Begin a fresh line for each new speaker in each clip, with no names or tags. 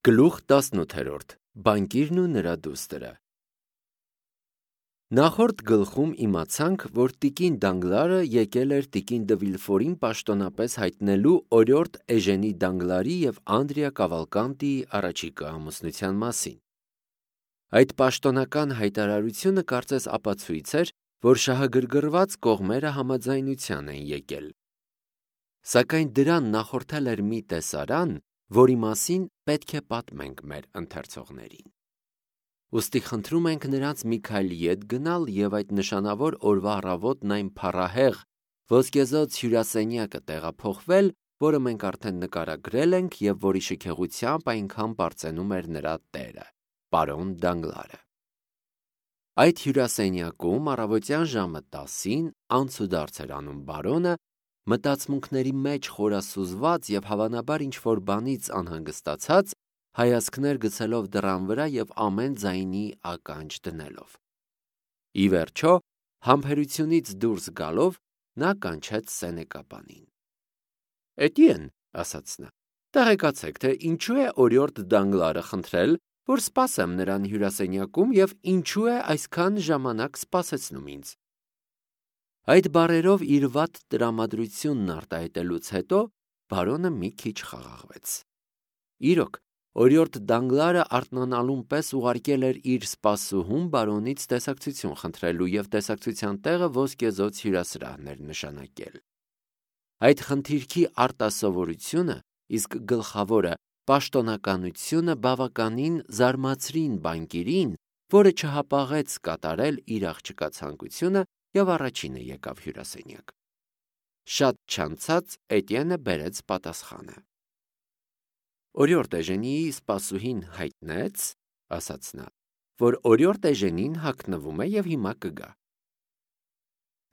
Գլուխ 18 Բանկիրն ու նրա դուստրը Նախորդ գլխում իմացանք, որ տիկին Դանգլարը եկել էր տիկին դը Վիլֆորին պաշտոնապես հայտնելու օրիորդ Էժենի Դանգլարի և Անդրիա Կավալկանտիի առաջիկա ամուսնության մասին։ Այդ պաշտոնական հայտարարությունը կարծես ապացույց էր, որ շահագրգռված կողմերը համաձայնության են եկել։ Սակայն դրան նախորդել էր մի տեսարան, որի մասին պետք է պատմենք մեր ընթերցողներին։ Ուստի խնդրում ենք նրանց մի քայլ ետ գնալ և այդ նշանավոր օրվա առավոտն այն փառահեղ ոսկեզօծ հյուրասենյակը տեղափոխվել, որը մենք արդեն նկարագրել ենք և որի շքեղությամբ այնքան պարծենում էր նրա տերը, պարոն Դանգլարը։ Այդ հյուրասենյակում առավոտյան ժամը 10-ին անցուդարձ էր անում բարոնը, մտածմունքների մեջ խորասուզված և հավանաբար ինչ-որ բանից անհանգստացած, հայացքներ գցելով դռան վրա և ամեն ձայնի ականջ դնելով։ Ի վերջո, համբերությունից դուրս գալով, նա կանչեց սենեկաբանին։ «Էտիեն», ասաց նա, «տեղեկացեք, թե ինչու է օրիորդ Դանգլարը խնդրել, որ սպասեմ նրան հյուրասենյակում և ինչու է այսքան ժամանակ սպասեցնում ինձ»։ Այդ բառերով իր վատ տրամադրությունն արտահայտելուց հետո բարոնը մի քիչ խաղաղվեց։ Իրոք, օրիորդ Դանգլարը արթնանալուն պես ուղարկել էր իր սպասուհուն բարոնից տեսակցություն խնդրելու և տեսակցության տեղը ոսկեզօծ հյուրասրահն էր նշանակել։ Այդ խնդիրքի արտասովորությունը, իսկ գլխավորը պաշտոնականությունը բավականին զարմացրին բանկիրին, որը չհապաղեց կատարել իր աղջկա ցանկությունը և առաջինը եկավ հյուրասենյակ։ Շատ չանցած Էտիենը բերեց պատասխանը։ «Օրիորդ Էժենիի սպասուհին հայտնեց, — ասաց նա, — որ օրիորդ Էժենին հագնվում է և հիմա կգա»։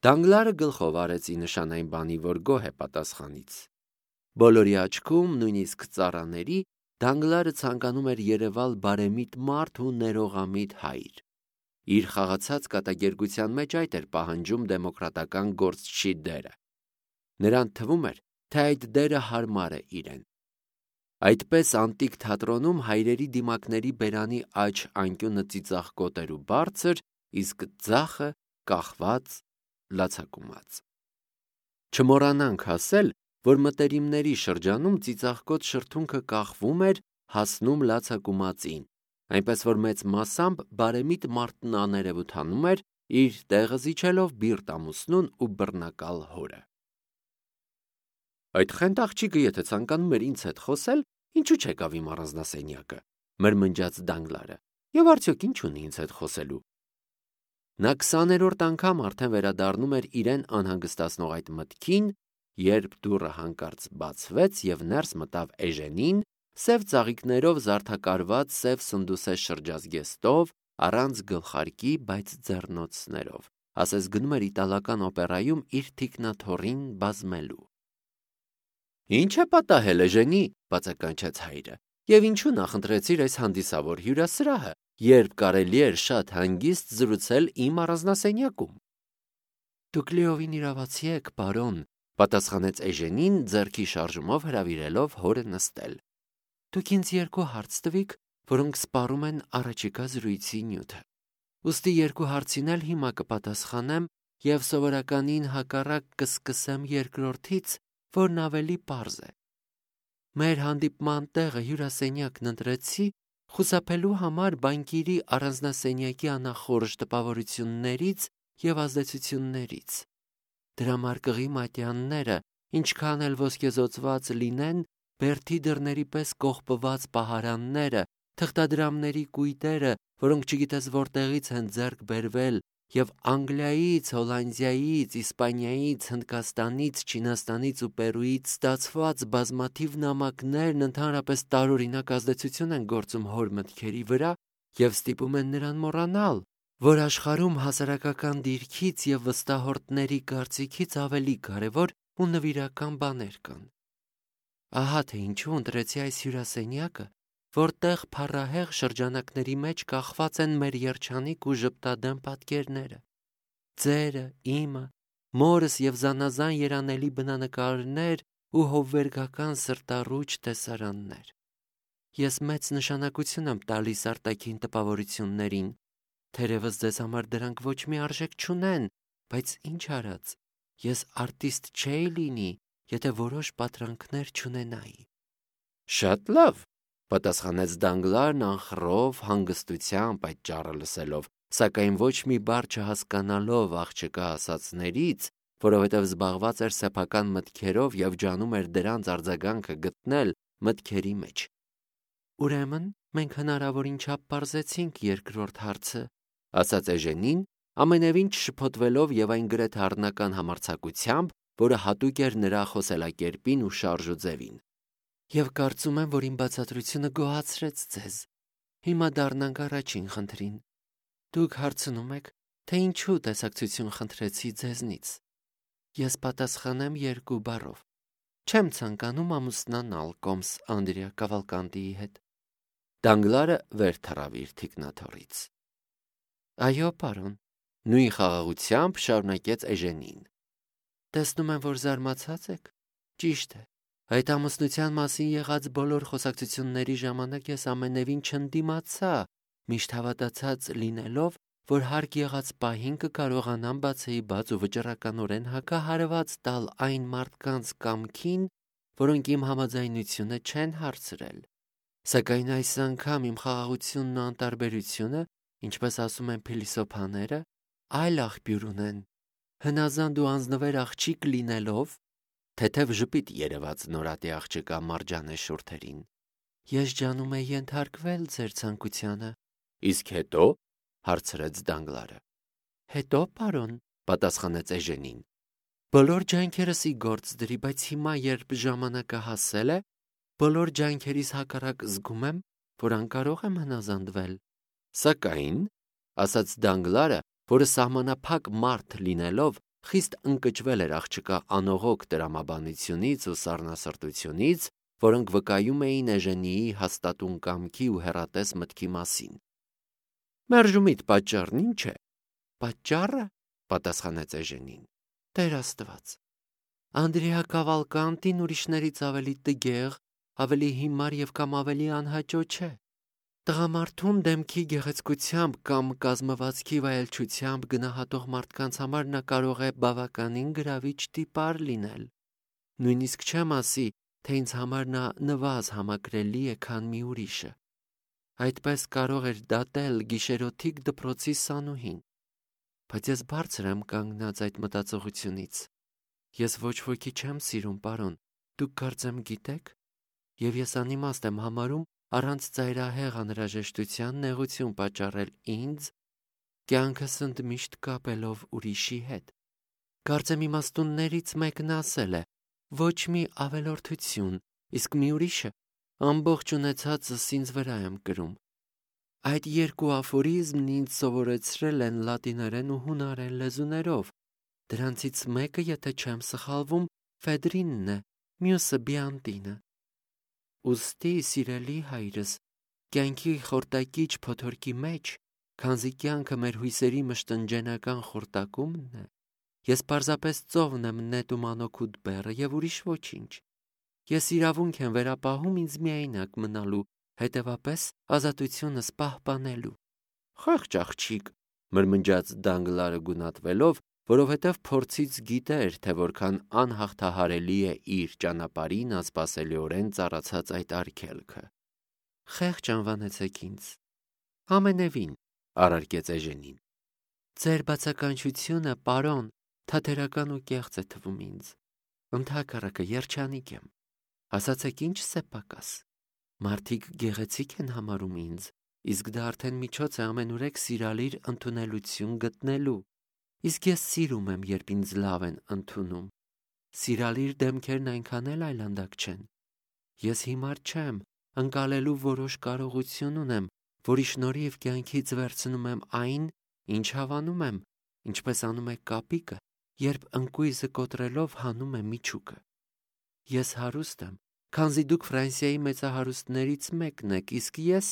Դանգլարը գլխով արեց ի նշան այն բանի, որ գոհ է պատասխանից։ Բոլորի աչքում, նույնիսկ ծառաների, Դանգլարը ցանկանում էր երևալ բարեմիտ մարդ ու ներողամիտ հայր։ Իր խաղացած կատակերգության մեջ այդ էր պահանջում դեմոկրատական գործչի դերը։ Նրան թվում էր, թե այդ դերը հարմար է իրեն։ Այդպես անտիկ թատրոնում հայրերի դիմակների բերանի աջ անկյունը ծիծաղկոտ էր ու բարձր, իսկ ձախը կախված, լացակումած։ Չմոռանանք ասել, որ մտերիմների շրջանում ծիծաղկոտ շրթունքը կախվում էր, հասնում լացակումածին, այնպես որ մեծ մասամբ բարեմիտ մարդն աներևութանում էր, իր տեղը զիջելով բիրտ ամուսնուն ու բռնակալ հորը։ «Այդ խենթ աղջիկը եթե ցանկանում էր ինձ հետ խոսել, ինչու չեկավ իմ առանձնասենյակը», մրմնջաց Դանգլարը, «և արդյոք ինչ ունի ինձ հետ խոսելու»։ Նա 20-րդ անգամ արդեն վերադառնում էր իրեն անհանգստացնող այդ մտքին, երբ դուռը հանկարծ բացվեց և ներս մտավ Էժենին, սև ծաղիկներով զարդակարված սև սնդուսե շրջազգեստով, առանց գլխարկի, բայց ձեռնոցներով, ասես գնում էր իտալական օպերայում իր թիկնաթոռին բազմելու։ «Ինչ է պատահել, Էժենի», բացականչեց հայրը, «և ինչու նախընտրեցիր այս հանդիսավոր հյուրասրահը, երբ կարելի էր շատ հանգիստ զրուցել իմ առանձնասենյակում»։ «Դուք լիովին իրավացի եք, պարոն», պատասխանեց Էժենին, ձեռքի շարժումով հրավիրելով հորը նստել։ «Դուք ինձ երկու հարց տվիք, որոնք սպառում են առաջիկա զրույցի նյութը։ Ուստի երկու հարցին էլ հիմա կպատասխանեմ և սովորականին հակառակ կսկսեմ երկրորդից, որն ավելի պարզ է։ Մեր հանդիպման տեղը հյուրասենյակն ընտրեցի խուսափելու համար բանկիրի առանձնասենյակի անախորժ տպավորություններից և ազդեցություններից։ Դրամարկղի մատյանները, ինչքան էլ ոսկեզօծված լինեն, բերդի դռների պես կողպված պահարանները, թղթադրամների կույտերը, որոնք չգիտես որտեղից են ձեռք բերվել, և Անգլիայից, Հոլանդիայից, Իսպանիայից, Հնդկաստանից, Չինաստանից ու Պերուից ստացված բազմաթիվ նամակներն ընդհանրապես տարօրինակ ազդեցություն են գործում հոր մտքերի վրա և ստիպում են նրան մոռանալ, որ աշխարհում հասարակական դիրքից և վստահորդների կարծիքից ավելի կարևոր ու նվիրական բաներ կան։ Ահա թե ինչու ընտրեցի այս հյուրասենյակը, որտեղ փառահեղ շրջանակների մեջ կախված են մեր երջանիկ ու ժպտադեմ պատկերները, ձերը, իմը, մորս և զանազան երանելի բնանկարներ ու հովվերգական սրտառուչ տեսարաններ։ Ես մեծ նշանակություն եմ տալիս արտաքին տպավորություններին, թերևս ձեզ համար դրանք ոչ մի արժեք չունեն, բայց ինչ արած, ես արտիստ չէի լինի, եթե որոշ պատրանքներ չունենայի։ Շատ լավ, պատասխանեց Դանգլարն անխռով հանգստությամբ այդ ճառը լսելով, սակայն ոչ մի բառ չհասկանալով աղջկա ասածներից, որովհետև զբաղված էր սեփական մտքերով և ջանում էր դրանց արձագանքը գտնել մտքերի մեջ։ Ուրեմն մենք հնարավորին չափ պարզեցինք երկրորդ հարցը, ասաց Էժենին, ամենևին չշփոթվելով և այն գրեթե առնական համարձակությամբ, որը հատուկ էր նրա խոսելակերպին ու շարժուձևին։ Եվ կարծում եմ, որ իմ բացատրությունը գոհացրեց ձեզ։ Հիմա դառնանք առաջին խնդրին։ Դուք հարցնում եք, թե ինչու տեսակցություն խնդրեցի ձեզնից։ Ես պատասխանեմ երկու բառով։ Չեմ ցանկանում ամուսնանալ կոմս Անդրեա Կավալկանտիի հետ։ Դանգլարը վեր թռավ իր թիկնաթոռից։ Այո, պարոն, նույն խաղաղությամբ շարունակեց Էժենին։ Տեսնում եմ, որ զարմացած եք։ Ճիշտ է։ Այդ ամուսնության մասին եղած բոլոր խոսակցությունների ժամանակ ես ամենևին չընդդիմացա, միշտ հավատացած լինելով, որ հարկ եղած պահին կկարողանամ բացեի բաց ու վճռականորեն հակահարված տալ այն մարդկանց կամքին, որոնք իմ համաձայնությունը չեն հարցրել։ Սակայն այս անգամ իմ խաղաղությունն ու անտարբերությունը, ինչպես ասում են փիլիսոփաները, այլ աղբյուր ունեն։ Հնազանդ ու անձնվեր աղջիկ լինելով, թեթև ժպիտ երևաց նորատի աղջկա Մարջանե շուրթերին։ Ես ջանում եի ենթարկվել ձեր ցանկությանը։ Իսկ հետո, հարցրեց Դանգլարը։ Հետո, պարոն, պատասխանեց Էժենին։ Բոլոր ջանքերս ի գործ դրի, բայց հիմա, երբ ժամանակը հասել է, բոլոր ջանքերիս հակառակ զգում եմ, որ անկարող եմ հնազանդվել։ Սակայն, ասաց Դանգլարը, որը սահմանափակ մարդ լինելով, խիստ ընկճվել էր աղջկա անողոք տրամաբանությունից ու սառնասրտությունից, որոնք վկայում էին Էժենիի հաստատուն կամքի ու հեռատես մտքի մասին։ Մերժումիդ պատճառն ինչ է։ Պատճառը, պատասխանեց Էժենին, Տեր Աստված։ Անդրեա Կավալկանտին ուրիշներից ավելի տգեղ, ավելի հիմար և կամ ավելի անհաճո չէ։ Տղամարդուն դեմքի գեղեցկությամբ կամ կազմվածքի վայելչությամբ գնահատող մարդկանց համար նա կարող է բավականին գրավիչ տիպար լինել։ Նույնիսկ չեմ ասի, թե ինձ համար նա նվազ համակրելի է, քան մի ուրիշը։ Այդպես կարող էր դատել գիշերօթիկ դպրոցի սանուհին։ Բայց ես բարձր եմ կանգնած այդ մտածողությունից։ Ես ոչ ոքի չեմ սիրում, պարոն, դուք կարծեմ գիտեք, և ես անիմաստ եմ համարում առանց ծայրահեղ անհրաժեշտության նեղություն պատճառել ինձ, կյանքս ընդմիշտ կապելով ուրիշի հետ։ Կարծեմ իմաստուններից մեկն ասել է. ոչ մի ավելորդություն, իսկ մի ուրիշը ամբողջ ունեցածս ինձ վրա եմ կրում։ Այդ երկու աֆորիզմն ինձ սովորեցրել են լատիներեն ու հունարեն լեզուներով։ Դրանցից մեկը, եթե չեմ սխալվում, Ֆեդրինն է, մյուսը Բիանտինը։ Ուստի, սիրելի հայրս, կյանքի խորտակիչ փոթորկի մեջ, քանզի կյանքը մեր հույսերի մշտնջենական խորտակումն է, ես պարզապես ծովն եմ նետում անօգուտ բեռը և ուրիշ ոչինչ։ Ես իրավունք եմ վերապահում ինձ միայնակ մնալու, հետևապես ազատությունս պահպանելու։ Խեղճ աղջիկ, մրմնջաց Դանգլարը գունատվելով, որովհետև փորձից գիտեր, թե որքան անհաղթահարելի է իր ճանապարհին անսպասելիորեն ծառացած այդ արգելքը։ Խեղճ անվանեցեք ինձ։ Ամենևին, առարկեց Էժենին։ Ձեր բացականչությունը, պարոն, թատերական ու կեղծ է թվում ինձ։ Ընդհակառակը երջանիկ եմ։ Ասացեք ինչ սեպակաս։ Մարդիկ գեղեցիկ են համարում ինձ, իսկ դա արդեն միջոց է ամենուրեք սիրալիր ընդունելություն գտնելու։ Իսկ ես սիրում եմ, երբ ինձ լավ են ընդունում։ Սիրալիր դեմքերն այնքան էլ այլանդակ չեն։ Ես հիմար չեմ, ընկալելու որոշ կարողություն ունեմ, որի շնորհիվ կյանքից վերցնում եմ այն, ինչ հավանում եմ, ինչպես անում է կապիկը, երբ ընկույզը կոտրելով հանում է միջուկը։ Ես հարուստ եմ, քանզի դուք Ֆրանսիայի մեծահարուստներից մեկն եք, իսկ ես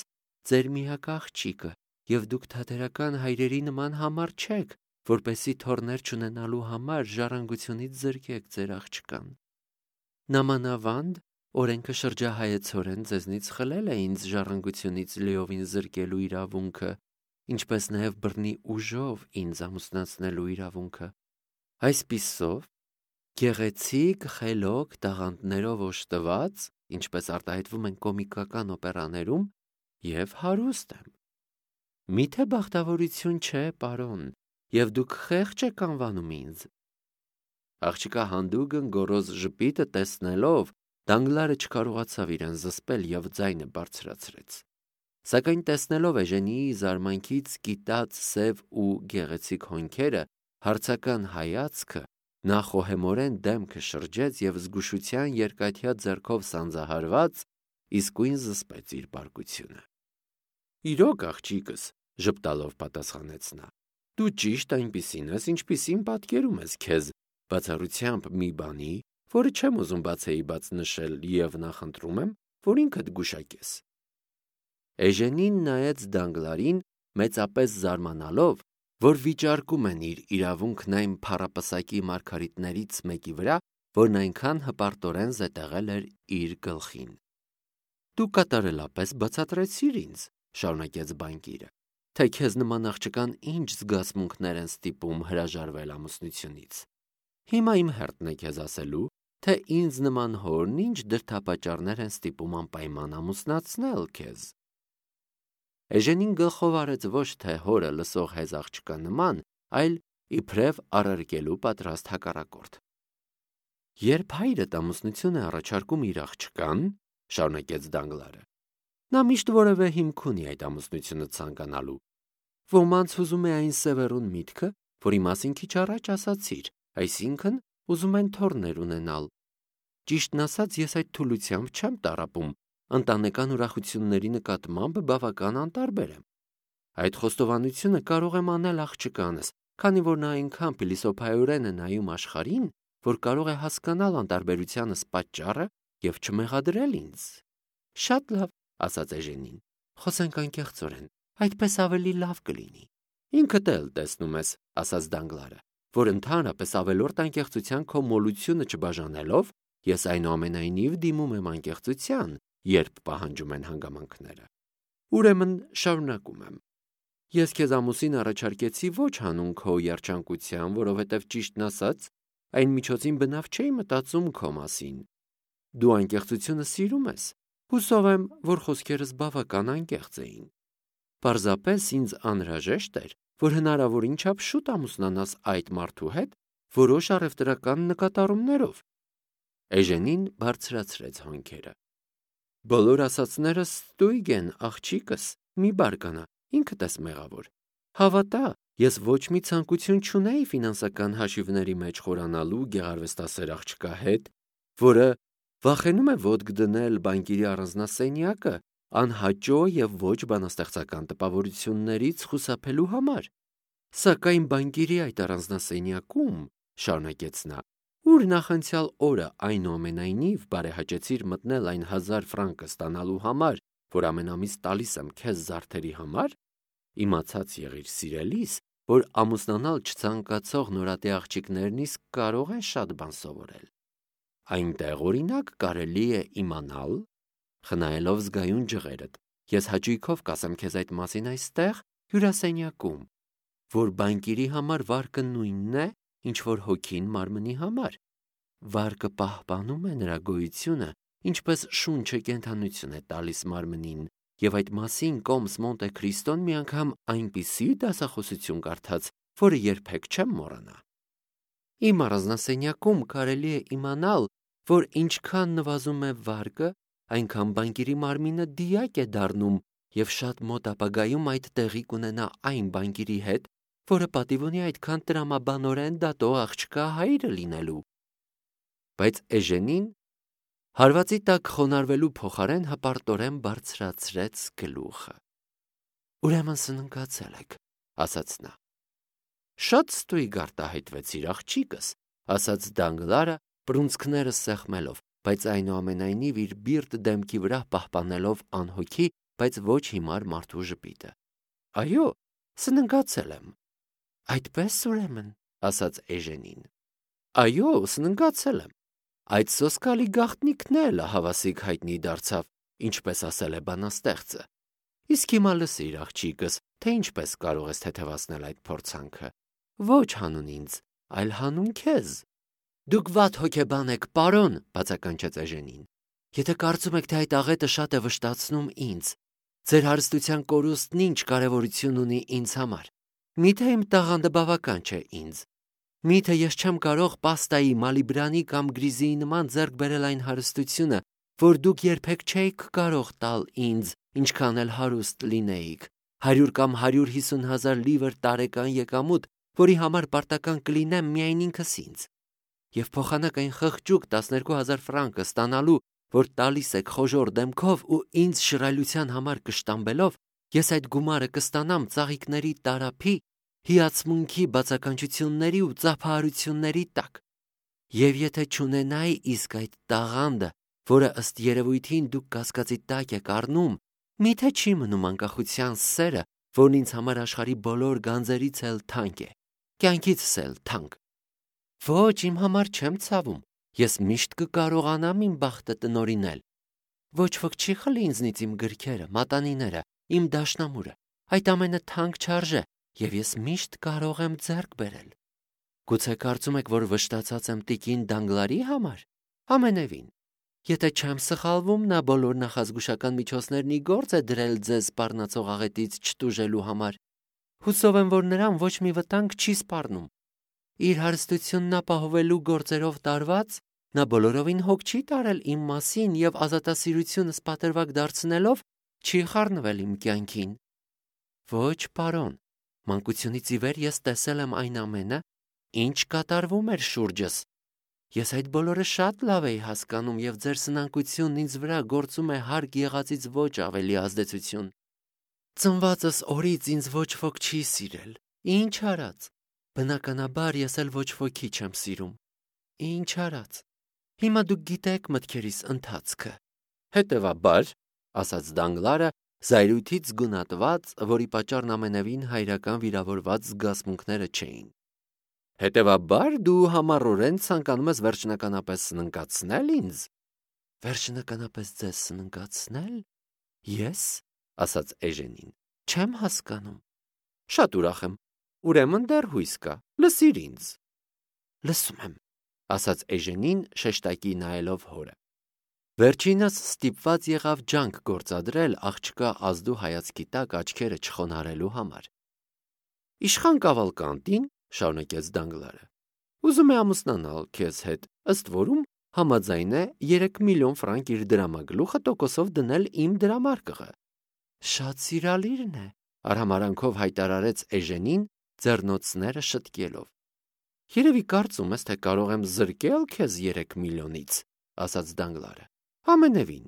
ձեր միակ աղջիկը, և դուք թատերական հայրերի նման համառ չեք, որպեսզի թոռներ չունենալու համար ժառանգությունից զրկեք ձեր աղջկան։ Նամանավանդ, օրենքը շրջահայեցորեն ձեզնից խլել է ինձ ժառանգությունից լիովին զրկելու իրավունքը, ինչպես նաև բռնի ուժով ինձ ամուսնացնելու իրավունքը։ Այսպիսով, գեղեցիկ, խելոք, տաղանդներով օժտված, ինչպես արտահայտվում են կոմիկական օպերաներում, եւ հարուստ եմ։ Միթե բախտավորություն չէ, պարոն, եւ դուք խեղճ եք անվանում ինձ։ Աղջիկա հանդուգն գոռոզ ժպիտը տեսնելով Դանգլարը չկարողացավ իրեն զսպել եւ ձայնը բարձրացրեց։ Սակայն տեսնելով Էժենիի զարմանքից կիտած սև ու գեղեցիկ հոնքերը, հարցական հայացքը, նա խոհեմորեն դեմքը շրջեց եւ զգուշության երկաթյա ձեռքով սանձահարված իսկույն զսպեց իր բարկությունը։ Իրոք աղջիկս, ժպտալով պատասխանեց նա, դու ճիշտ այնպիսին ես, ինչպիսին պատկերում ես քեզ, բացառությամբ մի բանի, որը չեմ ուզում բացեի բաց նշել եւ նախընտրում եմ, որ ինքդ գուշակես։ Էժենին նայեց Դանգլարին մեծապես զարմանալով, որ վիճարկում են իր իրավունքն այն փառապսակի մարգարիտներից մեկի վրա, որն այնքան հպարտորեն զետեղել էր իր գլխին։ Դու կատարելապես բացատրեցիր ինձ, շարունակեց բանկիրը, թե քեզ նման աղջկան ինչ զգացմունքներ են ստիպում հրաժարվել ամուսնությունից։ Հիմա իմ հերթն է քեզ ասելու, թե ինձ նման հորն ինչ դրդապատճառներ են ստիպում անպայման ամուսնացնել քեզ։ Էժենին գլխով արեց ոչ թե հորը լսող հեզ աղջկա նման, այլ իբրև առարկելու պատրաստ հակառակորդ։ Երբ հայրդ ամուսնություն է առաջարկում իր աղջկան, շարունակեց Դանգլարը, նա միշտ որևէ հիմք ունի այդ ամուսնությունը ցանկանալու։ Ոմանց ուզում է այն սևեռուն միտքը, որի մասին քիչ առաջ ասացիր, այսինքն ուզում են թոռներ ունենալ։ Ճիշտն ասած, ես այդ թուլությամբ չեմ տառապում, ընտանեկան ուրախությունների նկատմամբ բավական անտարբեր եմ։ Այդ խոստովանությունը կարող եմ անել աղջկանս, քանի որ նա այնքան փիլիսոփայորեն է նայում աշխարհին, որ կարող է հասկանալ անտարբերությանս պատճառը եւ չմեղադրել ինձ։ Շատ լավ, ասաց Էժենին, խոսենք անկեղծորեն, այդպես ավելի լավ կլինի։ Ինքդ էլ տեսնում ես, ասաց Դանգլարը, որ ընդհանրապես ավելորդ անկեղծության քո մոլությունը չբաժանելով, ես այնուամենայնիվ դիմում եմ անկեղծության, երբ պահանջում են հանգամանքները։ Ուրեմն շարունակում եմ։ Ես քեզ ամուսին առաջարկեցի ոչ հանուն քո երջանկության, որովհետև ճիշտն ասած, այն միջոցին բնավ չէի մտածում քո մասին։ Դու անկեղծությունը սիրում ես։ Հուսով եմ, որ խոսքերս բավական անկեղծ էին։ Պարզապես ինձ անհրաժեշտ էր, որ հնարավորին չափ շուտ ամուսնանաս այդ մարդու հետ, որոշ առևտրական նկատառումներով։ Էժենին բարձրացրեց հոնքերը։ Բոլոր ասածներս ստույգ են, աղջիկս, մի բարկանա, ինքդ ես մեղավոր։ Հավատա, ես ոչ մի ցանկություն չունեի ֆինանսական հաշիվների մեջ խորանալու գեղարվեստասեր աղջկա հետ, որը վախենում է ոտք դնել բանկիրի առանձնասենյակը անհաճո եւ ոչ բանաստեղծական տպավորություններից խուսափելու համար։ Սակայն բանկիրի այդ առանձնասենյակում, շարունակեց նա, ուր նախանցյալ օրը այնուամենայնիվ բարեհաճեցիր մտնել այն 1000 ֆրանկը ստանալու համար, որ ամեն ամիս տալիս եմ քեզ զարդերի համար, իմացած եղիր սիրելիս, որ ամուսնանալ չցանկացող նորատի աղջիկներն իսկ կարող են շատ բան սովորել։ Այնտեղ օրինակ կարելի է իմանալ, խնայելով զգայուն ջղերդ, ես հաճույքով կասեմ քեզ այդ մասին այստեղ հյուրասենյակում, որ բանկիրի համար վարկը նույնն է, ինչ որ հոգին մարմնի համար։ Վարկը պահպանում է նրա գոյությունը, ինչպես շունչը կենդանություն է տալիս մարմնին, եւ այդ մասին Կոմս Մոնտե Քրիստոն մի անգամ այնպիսի դասախոսություն կարդաց, որը երբեք չեմ մոռանա։ Իմ առանձնասենյակում կարելի է իմանալ, որ ինչքան նվազում է վարկը, այնքան բանկիրի մարմինը դիակ է դառնում եւ շատ մոտ ապագայում այդ տեղի կունենա այն բանկիրի հետ, որը պատիվ ունի այդքան տրամաբանորեն դատող աղջկա հայրը լինելու։ Բայց Էժենին հարվածի տակ խոնարհվելու փոխարեն հպարտորեն բարձրացրեց գլուխը։ Ուրեմն սննկացել եք, ասաց նա։ Շատ ստույգ արտահայտվեցիր, աղջիկս, ասաց Դանգլարը, բռունցքները սեղմելով, բայց այնուամենայնիվ իր բիրտ դեմքի վրա պահպանելով անհոգի, բայց ոչ հիմար մարդու ժպիտը։ Այո, սննկացել եմ։ Այդպես ուրեմն, ասաց Էժենին։ Այո, սննկացել եմ։ Այդ սոսկալի գաղտնիքն էլ հավասիկ հայտնի դարձավ, ինչպես ասել է բանաստեղծը։ Իսկ հիմա լսիր, աղջիկս, թե ինչպես կարող ես թեթևացնել այդ փորձանքը։ Ոչ հանուն ինձ, այլ հանուն քեզ։ Դուք վատ հոգեբան եք, պարոն, բացականչեց Էժենին։ Եթե կարծում եք, թե այդ աղետը շատ է վշտացնում ինձ, ձեր հարստության կորուստն ինչ կարևորություն ունի ինձ համար։ Միթե իմ տաղանդը բավական չէ ինձ։ Միթե ես չեմ կարող պաստայի, մալիբրանի կամ գրիզիի նման ձեռք բերել այն հարստությունը, որ դուք երբեք չէիք կարող տալ ինձ, ինչքան էլ հարուստ լինեիք, 100 կամ 150,000 լիվր տարեկան եկամուտ, որի համար պարտական կլինեմ միայն ինքս ինձ։ Եվ փոխանակ այն խղճուկ 12,000 ֆրանկը ստանալու, որ տալիս եք խոժոր դեմքով ու ինձ շռայլության համար կշտամբելով, ես այդ գումարը կստանամ ծաղիկների տարափի, հիացմունքի բացականչությունների ու ծափահարությունների տակ։ Եվ եթե չունենայի իսկ այդ տաղանդը, որը ըստ երևույթին դուք կասկածի տակ եք առնում, միթե չի մնում անկախության սերը, որն ինձ համար աշխարհի բոլոր գանձերից էլ թանկ է, կյանքիցս էլ թանկ։ Ոչ, իմ համար չեմ ցավում, ես միշտ կկարողանամ իմ բախտը տնօրինել։ Ոչ ոք չի խլի ինձնից իմ գրքերը, մատանիները, իմ դաշնամուրը, այդ ամենը թանկ չարժե, եւ ես միշտ կարող եմ ձեռք բերել։ Գուցե կարծում եք, որ վշտացած եմ տիկին Դանգլարի համար։ Ամենևին։ Եթե չեմ սխալվում, նա բոլոր նախազգուշական միջոցներն ի գործ է դրել ձեզ սպառնացող աղետից չտուժելու համար։ Հուսով եմ, որ նրան ոչ մի վտանգ չի սպառնում։ Իր հարստությունն ապահովելու գործերով տարված, նա բոլորովին հոգ չի տարել իմ մասին եւ ազատասիրությունս պատրվակ դարձնելով չի խառնվել իմ կյանքին։ Ոչ, պարոն, մանկությունից ի վեր ես տեսել եմ այն ամենը, ինչ կատարվում էր շուրջս։ Ես այդ բոլորը շատ լավ էի հասկանում եւ ձեր սնանկությունն ինձ վրա գործում է հարկ եղածից ոչ ավելի ազդեցություն։ Ծնվածս օրից ինձ ոչ ոք չի սիրել։ Ինչ արած։ Բնականաբար ես էլ ոչ ոքի չեմ սիրում։ Ինչ արած։ Հիմա դուք գիտեք մտքերիս ընթացքը։ Հետևաբար, ասաց Դանգլարը, զայրույթից զգունատված, որի պատճառն ամենևին հայրական վիրավորված զգացմունքները չէին։ Հետևաբար դու համառորեն ցանկանում ես վերջնականապես սննկացնել ինձ։ Վերջնականապես ձեզ սննկացնել։ Ես, ասաց Էժենին, չեմ հասկանում։ Շատ ուրախ եմ։ Ուրեմն դեռ հույս կա։ Լսիր ինձ։ Լսում եմ, ասաց Էժենին շեշտակի նայելով հորը։ Վերջինս ստիպված եղավ ջանք գործադրել աղջկա ազդու հայացքի տակ աչքերը չխոնարհելու համար։ Իշխան Կավալկանտին, շարունակեց Դանգլարը, ուզում է ամուսնանալ քեզ հետ, ըստ որում համաձայն է 3 միլիոն ֆրանկ իր դրամագլուխը տոկոսով դնել իմ դրամարկղը։ Շատ սիրալիրն է, արհամարանքով հայտարարեց Էժենին, ձեռնոցները շտկելով։ Երևի կարծում ես, թե կարող եմ զրկել քեզ 3 միլիոնից, ասաց Դանգլարը։ Ամենևին,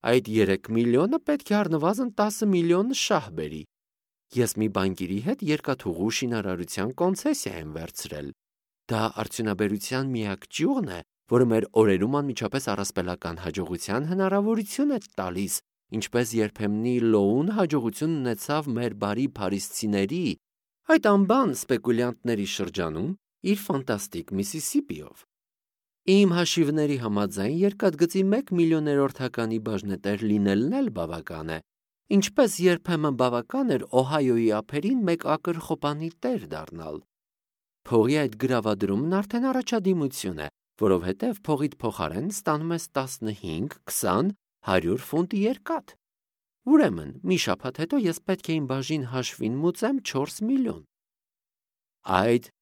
այդ 3 միլիոնը պետք է առնվազն 10 միլիոն շահ բերի։ Ես մի բանկիրի հետ երկաթուղու շինարարության կոնցեսիա եմ վերցրել։ Դա արդյունաբերության միակ ճյուղն է, որը մեր օրերում անմիջապես առասպելական հաջողության հնարավորություն է տալիս, ինչպես երբեմնի լոուն հաջողություն ունեցավ մեր բարի փարիսցիների, այդ անբան սպեկուլյանտների շրջանում իր ֆանտաստիկ Միսիսիպիով։ Իմ հաշիվների համաձայն երկաթգծի 1 միլիոներորդականի բաժնետեր լինելն էլ բավական է, ինչպես երբեմն բավական էր Օհայոյի ափերին 1 ակր խոպանի տեր դառնալ։ Փողի այդ գրավադրումն արդեն առաջադիմություն է, որովհետև փողիդ փոխարեն ստանում ես 15, 20, 100 ֆունտ երկաթ։ Ուրեմն, մի շաբաթ հետո ես պետք է իմ բաժին հաշվին մուծեմ 4 միլիոն։ Այդ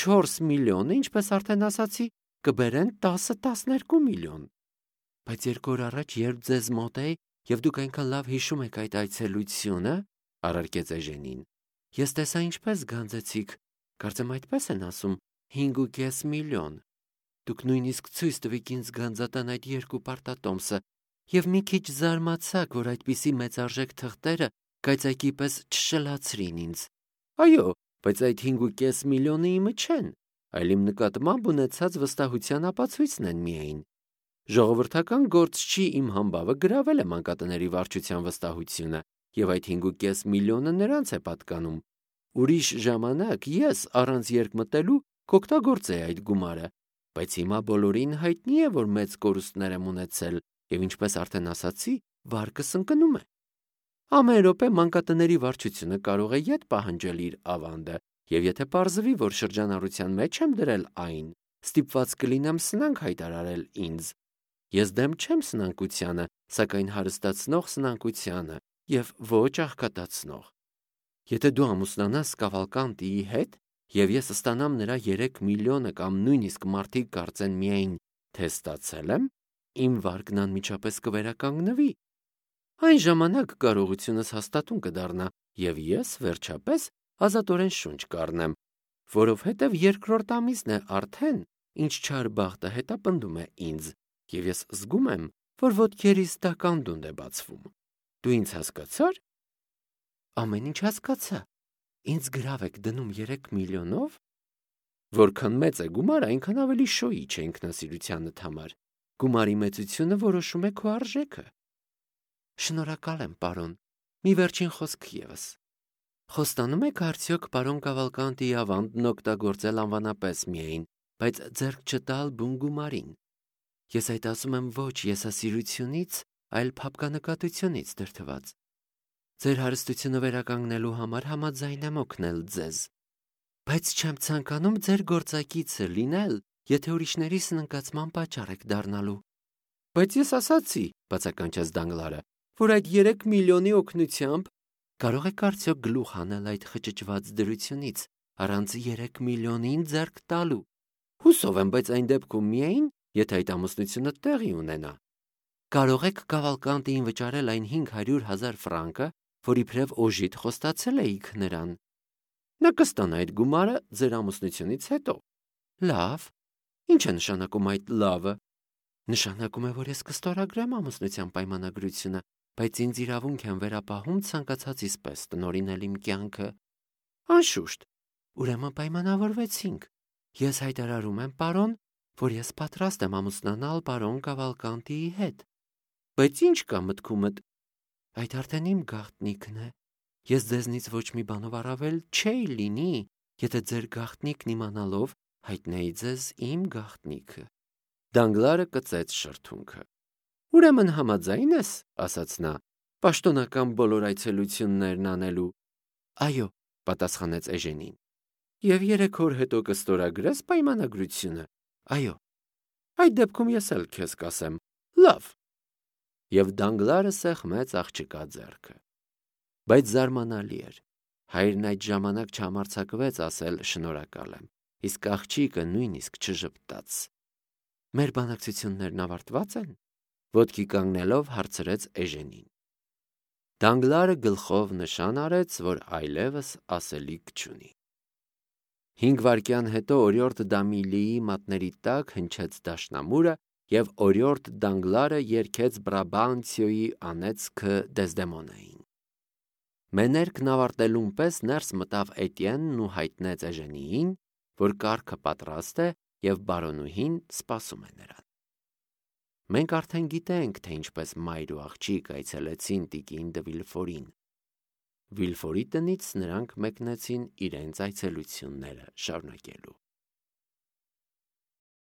4 միլիոնը, ինչպես արդեն ասացի, կբերեն 10-12 միլիոն։ Բայց 2 օր առաջ, երբ ձեզ մոտ էի, եւ դուք այնքան լավ հիշում եք այդ այցելությունը, առարկեց Էժենին, ես տեսա ինչպես գանձեցիք, կարծեմ այդպես են ասում, 5.5 միլիոն։ Դուք նույնիսկ ցույց տվիք ինձ գանձատան այդ 2 պարտատոմսը, եւ մի քիչ զարմացաք, որ այդպիսի մեծարժեք թղթերը կայծակի պես չշլացրին ինձ։ Այո, բայց այդ 5.5 միլիոնը իմը չեն, այլ իմ նկատմամբ ունեցած վստահության ապացույցն են միայն։ Ժողովրդական գործ չի իմ համբավը գրավել է մանկատների վարչության վստահությունը, եւ այդ 5.5 միլիոնը նրանց է պատկանում։ Ուրիշ ժամանակ ես առանց երկմտելու կօգտագործեի այդ գումարը, բայց հիմա բոլորին հայտնի է, որ մեծ կորուստներ եմ ունեցել եւ ինչպես արդեն ասացի, վարկս ընկնում է։ Ամեն րոպե մանկատների վարչությունը կարող է ետ պահանջել իր ավանդը, եւ եթե պարզվի, որ շրջանառության մեջ եմ դրել այն, ստիպված կլինեմ սնանկ հայտարարել ինձ։ Ես դեմ չեմ սնանկությանը, սակայն հարստացնող սնանկությանը եւ ոչ աղքատացնող։ Եթե դու ամուսնանաս Կավալկանտիի հետ, եւ ես ստանամ նրա 3 միլիոնը կամ նույնիսկ մարդիկ կարծեն միայն, թե ստացել եմ, իմ վարկն անմիջապես կվերականգնվի։ Այն ժամանակ կարողությունս հաստատուն կդառնա, եւ ես, վերջապես, ազատորեն շունչ կառնեմ, որովհետեւ երկրորդ ամիսն է արդեն, ինչ չար բախտը հետապնդում է ինձ, եւ ես զգում եմ, որ ոտքերիս տականդունդ է բացվում։ Դու ինձ հասկացա՞ր։ Ամեն ինչ հասկացա։ Ինձ գրավ եք դնում 3 միլիոնով։ Որքան մեծ է գումարը, այնքան ավելի շոյիչ է ինքնասիրությանդ համար։ Գումարի մեծությունը որոշում է քո արժեքը։ Շնորհակալ եմ, պարոն։ Մի վերջին խոսք եւս։ Խոստանում եք արդյոք պարոն Կավալկանտիի ավանդն օգտագործել անվանապես միայն, բայց ձեռք չտալ բուն գումարին։ Ես այդ ասում եմ ոչ եսասիրությունից, այլ փափկանկատությունից դրդված։ Ձեր հարստությունը վերականգնելու համար համաձայն եմ օգնել ձեզ։ Բայց չեմ ցանկանում ձեր գործակիցը լինել, եթե ուրիշների սնանկացման պատճառ եք դառնալու։ Բայց ես ասացի, բացականչեց Դանգլարը, որ այդ 3 միլիոնի օգնությամբ կարող եք արդյոք գլուխ հանել այդ խճճված դրությունից, առանց 3 միլիոնին ձեռք տալու։ Հուսով եմ, բայց այն դեպքում միայն, եթե այդ ամուսնությունը տեղի ունենա։ Կարող եք Կավալկանտիին վճարել այն 500,000 ֆրանկը, որ իբրև օժիտ խոստացել էիք նրան։ Նա կստանա այդ գումարը ձեր ամուսնությունից հետո։ Լավ։ Ինչ է նշանակում այդ լավը։ Նշանակում է, որ ես կստորագրեմ ամուսնության պայմանագրությունը, բայց ինձ իրավունք եմ վերապահում ցանկացածիս պես տնօրինել իմ կյանքը։ Անշուշտ, ուրեմն պայմանավորվեցինք։ Ես հայտարարում եմ, պարոն, որ ես պատրաստ եմ ամուսնանալ պարոն Կավալկանտիի հետ։ Բայց ինչ կա մտքումդ։ Այդ արդեն իմ գաղտնիքն է։ Ես ձեզնից ոչ մի բանով առավել չէի լինի, եթե ձեր գաղտնիքն իմանալով հայտնեի ձեզ իմ գաղտնիքը։ Դանգլարը կծեց շրթունքը։ Ուրեմն համաձայն ես, ասաց նա, պաշտոնական բոլոր այցելություններն անելու։ Այո, պատասխանեց Էժենին։ Եվ 3 օր հետո կստորագրես պայմանագրությունը։ Այո։ Այդ դեպքում ես էլ քեզ կասեմ. լավ։ Եվ Դանգլարը սեղմեց աղջկա ձեռքը։ Բայց զարմանալի էր։ Հայրն այդ ժամանակ չհամարձակվեց ասել շնորհակալ եմ, իսկ աղջիկը նույնիսկ չժպտաց։ Մեր բանակցություններն ավարտվա՞ծ են։ Ոտքի կանգնելով հարցրեց Էժենին։ Դանգլարը գլխով նշան արեց, որ այլևս ասելիք չունի։ 5 վայրկյան հետո օրիորդ Դամիլիի մատների տակ հնչեց դաշնամուրը, եւ օրիորդ Դանգլարը երգեց Բրաբանցիոյի անեծքը Դեզդեմոնային։ Մեներկն ավարտելուն պես ներս մտավ Էտիենն ու հայտնեց Էժենիին, որ կառքը պատրաստ է եւ բարոնուհին սպասում է նրան։ Մենք արդեն գիտենք, թե ինչպես մայր ու աղջիկ այցելեցին տիկին դը Վիլֆորին։ Վիլֆորի տնից նրանք մեկնեցին իրենց այցելությունները շարունակելու։